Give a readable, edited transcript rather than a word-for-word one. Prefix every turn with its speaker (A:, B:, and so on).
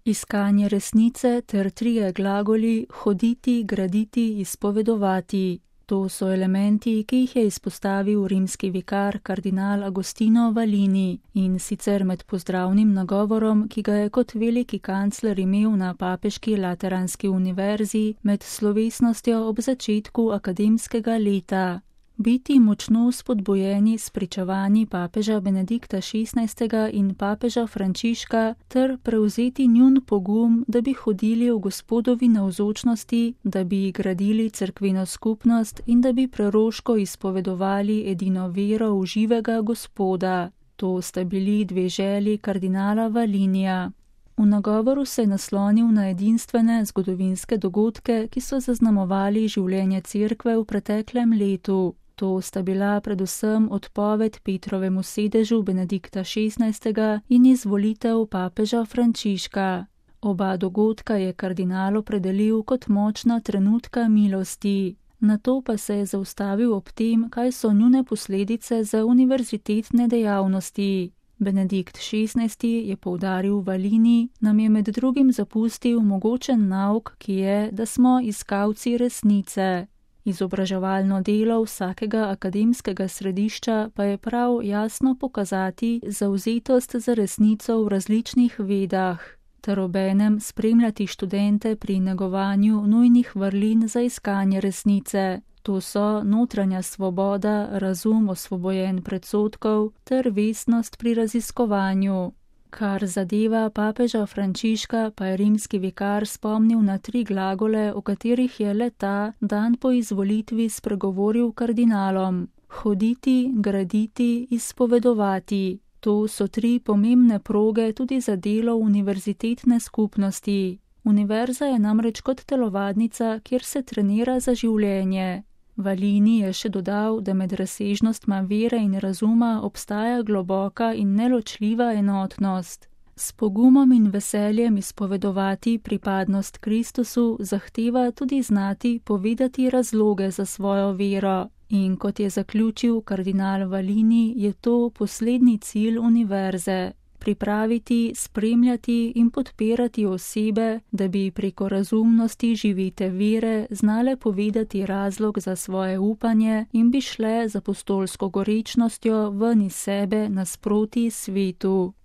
A: Iskanje resnice ter trije glagoli hoditi, graditi, izpovedovati. To so elementi, ki jih je izpostavil rimski vikar kardinal Agostino Valini, in sicer med pozdravnim nagovorom, ki ga je kot veliki kancler imel na papeški Lateranski univerzi med slovesnostjo ob začetku akademskega leta. Biti močno spodbujeni s pričevanji papeža Benedikta XVI. In papeža Frančiška ter prevzeti njun pogum, da bi hodili v Gospodovi navzočnosti, da bi gradili cerkveno skupnost in da bi preroško izpovedovali edino vero v živega Gospoda. To sta bili dve želji kardinala Valinija. V nagovoru se je naslonil na edinstvene zgodovinske dogodke, ki so zaznamovali življenje cerkve v preteklem letu. To sta bila predvsem odpoved Petrovemu sedežu Benedikta XVI. In izvolitev papeža Frančiška. Oba dogodka je kardinal opredelil kot močna trenutka milosti. Nato pa se je zaustavil ob tem, kaj so njune posledice za univerzitetne dejavnosti. Benedikt XVI. Je poudaril Valini, nam je med drugim zapustil mogočen nauk, ki je, da smo iskalci resnice. Izobraževalno delo vsakega akademskega središča pa je prav jasno pokazati zavzetost za resnico v različnih vedah, ter obenem spremljati študente pri negovanju nujnih vrlin za iskanje resnice. To so notranja svoboda, razum osvobojen predsodkov ter vestnost pri raziskovanju. Kar zadeva papeža Frančiška, pa je rimski vikar spomnil na tri glagole, o katerih je le ta dan po izvolitvi spregovoril kardinalom: hoditi, graditi, izpovedovati. To so tri pomembne proge tudi za delo univerzitetne skupnosti. Univerza je namreč kot telovadnica, kjer se trenira za življenje. Valini je še dodal, da med razsežnostma vere in razuma obstaja globoka in neločljiva enotnost. S pogumom in veseljem izpovedovati pripadnost Kristusu zahteva tudi znati povedati razloge za svojo vero. In kot je zaključil kardinal Valini, je to poslednji cilj univerze. Pripraviti, spremljati in podpirati osebe, da bi preko razumnosti živite vere znale povedati razlog za svoje upanje in bi šle z apostolsko gorečnostjo ven iz sebe nasproti svetu.